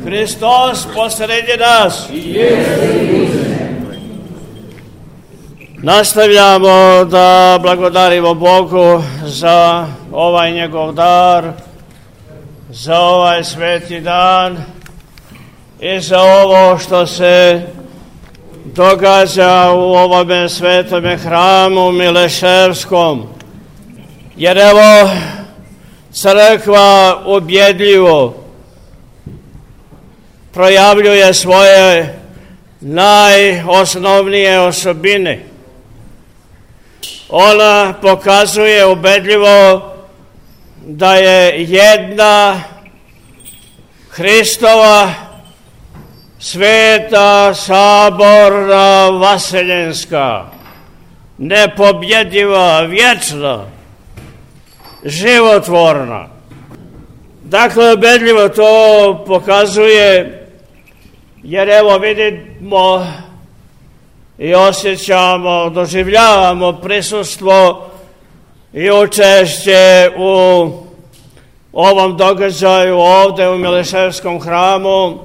Hristos posredi nas. Nastavljamo da blagodarimo Bogu za ovaj njegov dar, za ovaj sveti dan i za ovo što se događa u ovome svetome hramu Mileševskom. Jer evo, crkva ubjedljivo projavljuje svoje najosnovnije osobine. Ona pokazuje ubedljivo da je jedna Hristova sveta, saborna, vaseljenska, nepobjediva, vječna, životvorna. Dakle, ubedljivo to pokazuje, jer evo vidimo i osjećamo, doživljavamo prisustvo i učešće u ovom događaju ovde u Mileševskom hramu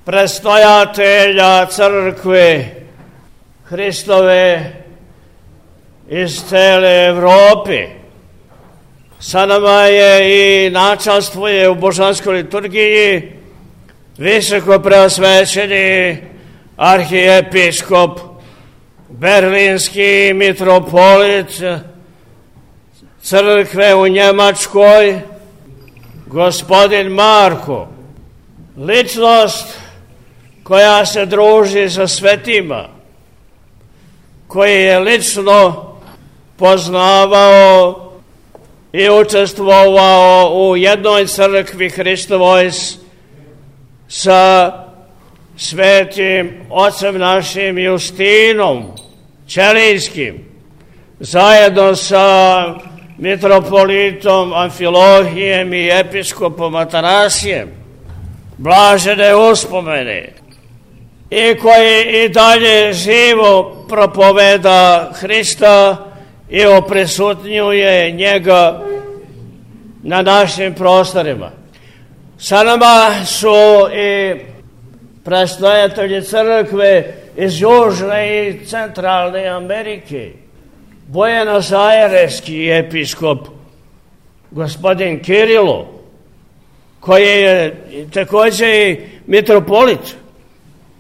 predstojatelja crkve Hristove iz cele Evrope. Sa nama je i načastvuje u božanskoj liturgiji visoko preosvećeni arhijepiskop, berlinski mitropolit crkve u Njemačkoj, gospodin Marko, ličnost koja se druži sa svetima, koji je lično poznavao i učestvovao u jednoj crkvi Hristovoj sa svetim ocem našim Justinom Ćelijskim, zajedno sa mitropolitom Amfilohijem i episkopom Atanasijem, blažene uspomene, i koji i dalje živo propoveda Hrista i oprisutnjuje njega na našim prostorima. Sa nama su i predstojatelji crkve iz Južne i Centralne Amerike, Buenos Aireski episkop gospodin Kirilo, koji je također i mitropolit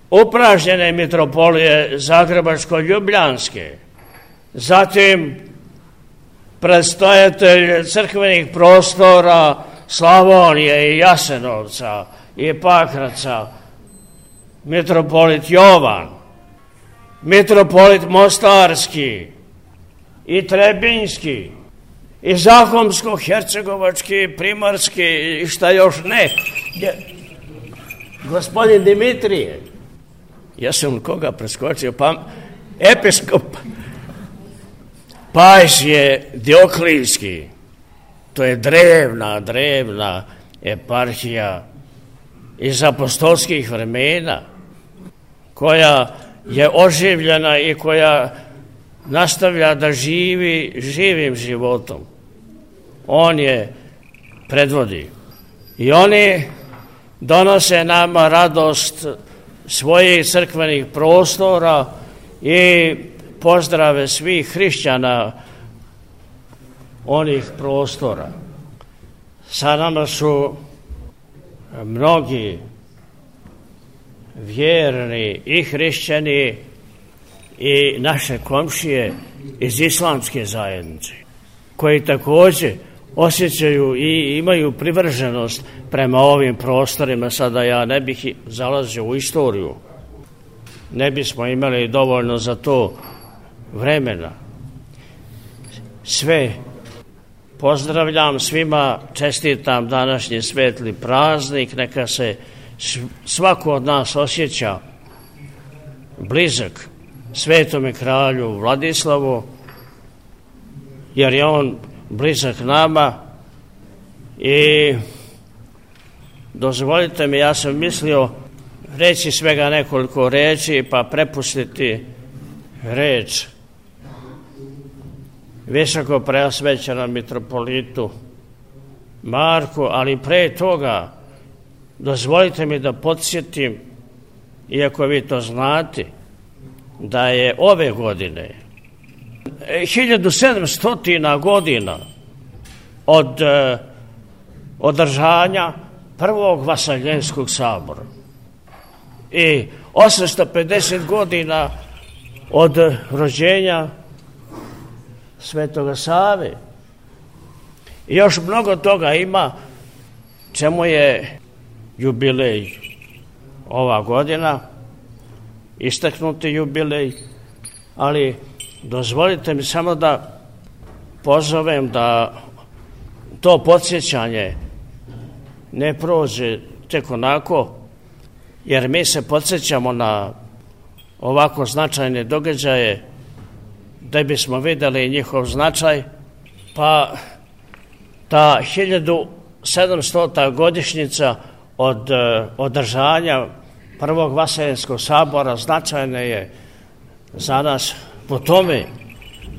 upražnjene mitropolije Zagrebačko-Ljubljanske, zatim predstojatelj crkvenih prostora Slavonije i Jasenovca i Pakraca, mitropolit Jovan, mitropolit Mostarski i Trebinjski i Zahomsko-hercegovački, Primarski i šta još ne. Gospodin Dimitrije, ja sam koga preskočio, episkop Pajs je Dioklijski. To je drevna eparhija iz apostolskih vremena, koja je oživljena i koja nastavlja da živi živim životom. On je predvodi. I oni donose nama radost svojih crkvenih prostora i pozdrave svih hrišćana onih prostora. Sa nama su mnogi vjerni i hrišćani i naše komšije iz islamske zajednice, koji također osjećaju i imaju privrženost prema ovim prostorima. Sada ja ne bih zalazio u istoriju, ne bismo imali dovoljno za to vremena. Sve pozdravljam, svima čestitam današnji svetli praznik, neka se svako od nas osjeća blizak svetome kralju Vladislavu, jer je on blizak nama. I dozvolite mi, ja sam mislio reći svega nekoliko reči pa prepustiti reč visoko preosvećenom mitropolitu Marku, ali pre toga dozvolite mi da podsjetim, iako vi to znate, da je ove godine 1700 godina od održanja prvog Vaseljenskog sabora i 850 godina od rođenja Svetoga Save. I još mnogo toga ima čemu je jubilej ova godina, istaknuti jubilej, ali dozvolite mi samo da pozovem da to podsjećanje ne prođe tek onako, jer mi se podsjećamo na ovako značajne događaje da bismo vidjeli njihov značaj, pa ta 1700. godišnjica od održanja prvog Vaseljenskog sabora značajna je za nas po tome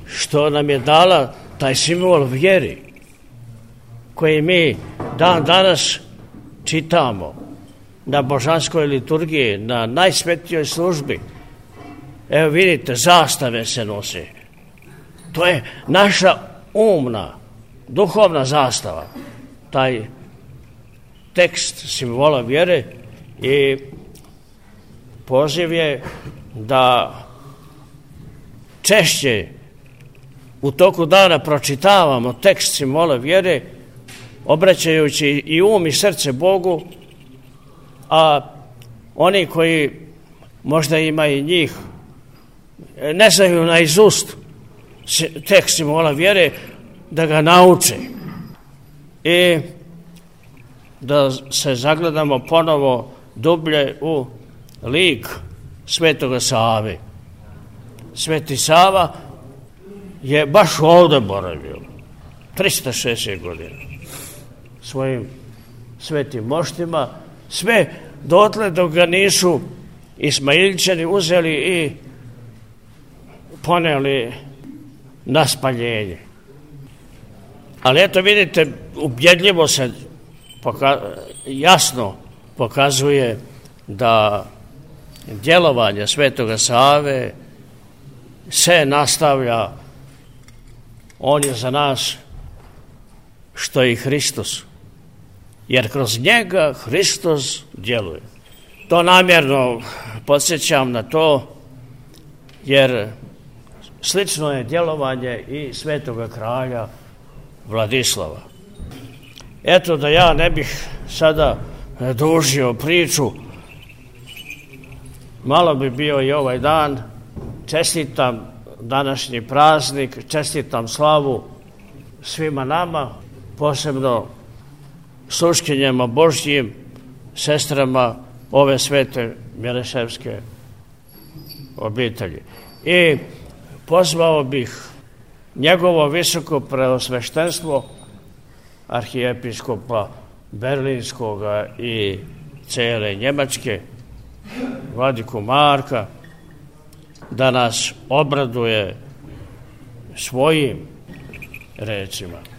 što nam je dala taj simbol vjeri koji mi dan danas čitamo na božanskoj liturgiji, na najsvetijoj službi. Evo vidite, zastave se nose. To je naša umna, duhovna zastava, taj tekst simbola vjere, i poziv je da češće u toku dana pročitavamo tekst simbola vjere, obraćajući i um i srce Bogu, a oni koji možda ima i njih ne znaju naizust tekst simbola vjere, da ga nauče i da se zagledamo ponovo dublje u lik Svetoga Save. Sveti Sava je baš ovdje boravio 360 godina svojim svetim moštima, sve dotle dok ga nisu Ismailčani uzeli i poneli na spaljenje. Ali eto vidite, ubjedljivo se jasno pokazuje da djelovanje Svetoga Save se nastavlja. On je za nas što i Hristos, jer kroz njega Hristos djeluje. To namjerno podsjećam na to, jer slično je djelovanje i Svetoga kralja Vladislava. Eto, da ja ne bih sada dužio priču, malo bi bio i ovaj dan. Čestitam današnji praznik, čestitam slavu svima nama, posebno sluškinjama Božjim, sestrama ove svete Mileševske obitelji. I pozvao bih njegovo visoko preosveštenstvo, arhijepiskopa Berlinskoga i cijele Njemačke, vladiku Marka, da nas obraduje svojim rečima.